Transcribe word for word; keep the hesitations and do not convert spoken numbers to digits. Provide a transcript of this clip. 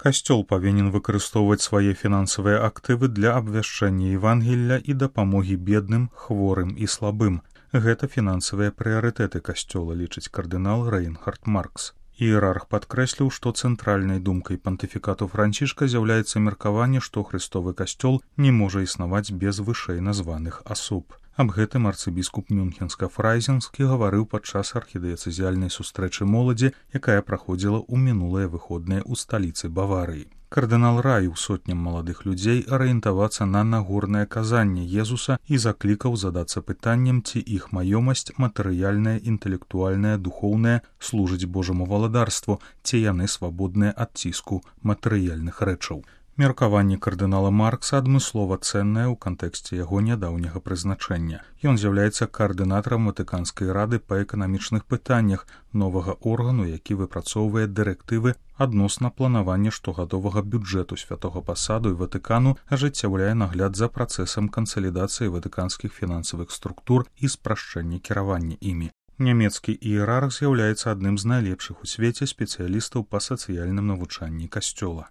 Касцёл павінен выкарыстоўваць свае фінансавыя актывы для абвяшчэння Евангелля і дапамогі бедным, хворым і слабым. Гэта фінансавыя прыярытэты касцёла, лічыць кардынал Рэйнхард Маркс. Іерарх падкрэсліў, што цэнтральнай думкай пантыфікату Францішка з'яўляецца меркаванне, што хрыстовы касцёл не можа існаваць без вышэй названых асоб. Аб гэтым арцыбіскуп Мюнхенска-Фрайзенскі гаварыў падчас архідыяцэзіяльнай сустрэчы моладзі, якая праходзіла ў мінулыя выходныя ў сталіцы Баварыі. Кардынал раіў сотням маладых людзей арыентавацца на нагорнае казанне Езуса і заклікаў задацца пытаннем, ці іх маёмасць матэрыяльная, інтэлектуальная, духоўная служыць Божаму валадарству, ці яны свабодныя ад ціску матэрыяльных рэчаў. Меркаванне кардынала Маркса адмыслова цэннае ў кантэксце яго нядаўняга прызначэння. Ён з'яўляецца каардынатарам Ватыканскай рады па эканамічных пытаннях, новага органу, які выпрацоўвае дырэктывы адносна планавання штогадовага бюджэту святога пасаду і Ватыкану, ажыццяўляе нагляд за працэсам кансалідацыі ватыканскіх фінансавых структур і спрашчэння кіравання імі. Нямецкі іерарх з'яўляецца адным з найлепшых у свеце спецыялістаў па сацыяльным навучанні касцёла.